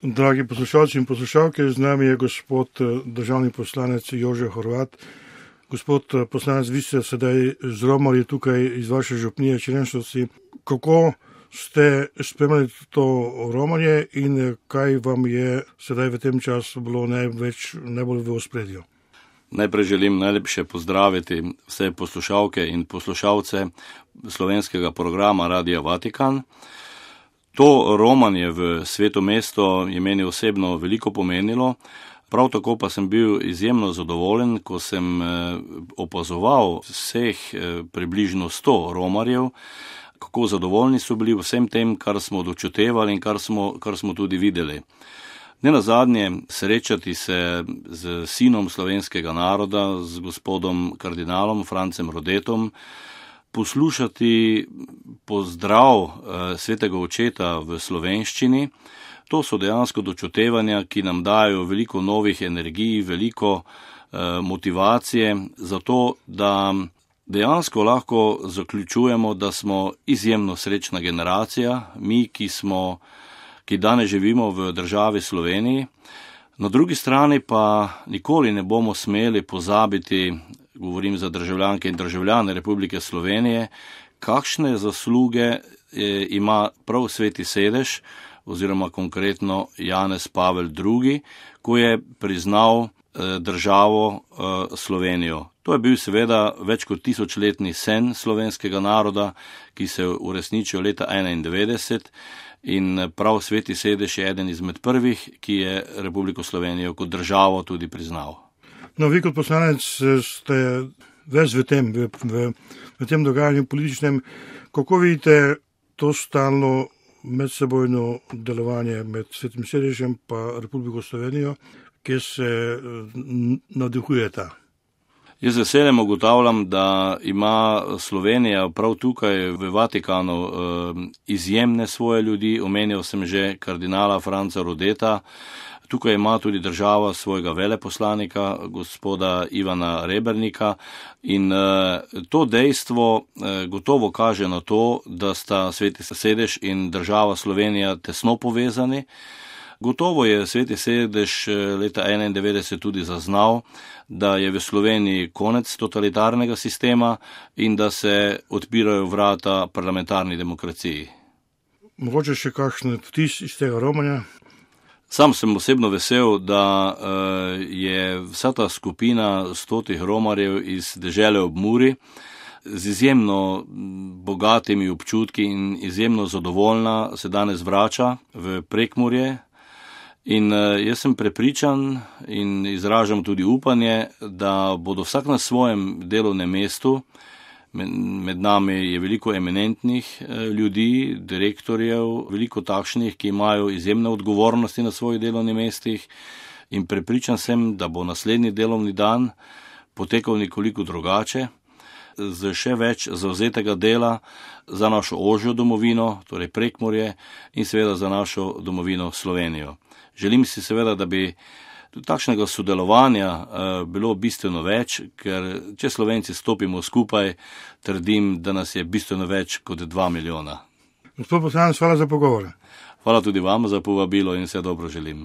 Dragi poslušalci in poslušalke, z nami je gospod državni poslanec Jože Horvat. Gospod poslanec, vi ste sedaj z romali tukaj iz vaše župnije Črenšovci. Kako ste spremljali to romanje in kaj vam je sedaj v tem času bilo najbolj v ospredju? Najprej želim najlepše pozdraviti vse poslušalke in poslušalce slovenskega programa Radia Vatikan. To romanje v Sveto mesto je meni osebno veliko pomenilo, prav tako pa sem bil izjemno zadovoljen, ko sem opazoval vseh približno 100 romarjev, kako zadovoljni so bili vsem tem, kar smo dočutevali in kar smo tudi videli. Nenazadnje srečati se z sinom slovenskega naroda, z gospodom kardinalom Francem Rodetom, poslušati pozdrav svetega očeta v slovenščini. To so dejansko dočutevanja, ki nam dajo veliko novih energij, veliko motivacije za to, da dejansko lahko zaključujemo, da smo izjemno srečna generacija, mi, ki danes živimo v državi Sloveniji. Na drugi strani pa nikoli ne bomo smeli pozabiti, govorim za državljanke in državljane Republike Slovenije, kakšne zasluge ima prav Sveti sedež, oziroma konkretno Janez Pavel II., ko je priznal državo Slovenijo. To je bil seveda več kot 1000-letni sen slovenskega naroda, ki se je uresničil leta 1991 in prav Sveti sedež je eden izmed prvih, ki je Republiko Slovenijo kot državo tudi priznal. No, vi kot poslanec ste ves v tem dogajanju političnem. Kako vidite to stalno medsebojno delovanje med Svetim sedežem pa Republiko Slovenijo, kjer se navdihujeta? Jaz z veseljem ugotavljam, da ima Slovenija prav tukaj v Vatikanu izjemne svoje ljudi. Omenjal sem že kardinala Franca Rodeta. Tukaj ima tudi država svojega veleposlanika, gospoda Ivana Rebernika, in to dejstvo gotovo kaže na to, da sta Sveti sedež in država Slovenija tesno povezani. Gotovo je Sveti sedež leta 1991 tudi zaznal, da je v Sloveniji konec totalitarnega sistema in da se odpirajo vrata parlamentarni demokraciji. Mogoče še kakšen vtis iz tega romanja? Sam sem osebno vesel, da je vsa ta skupina 100 romarjev iz dežele ob Muri z izjemno bogatimi občutki in izjemno zadovoljna se danes vrača v Prekmurje. In jaz sem prepričan in izražam tudi upanje, da bodo vsak na svojem delovnem mestu, med nami je veliko eminentnih ljudi, direktorjev, veliko takšnih, ki imajo izjemne odgovornosti na svojih delovnih mestih, in prepričan sem, da bo naslednji delovni dan potekal nekoliko drugače, z še več zavzetega dela za našo ožjo domovino, torej Prekmurje, in seveda za našo domovino Slovenijo. Želim si seveda, da bi takšnega sodelovanja bilo bistveno več, ker če Slovenci stopimo skupaj, trdim, da nas je bistveno več kot 2 milijona. Gospod poslanec, hvala za pogovor. Hvala tudi vam za povabilo in vse dobro želim.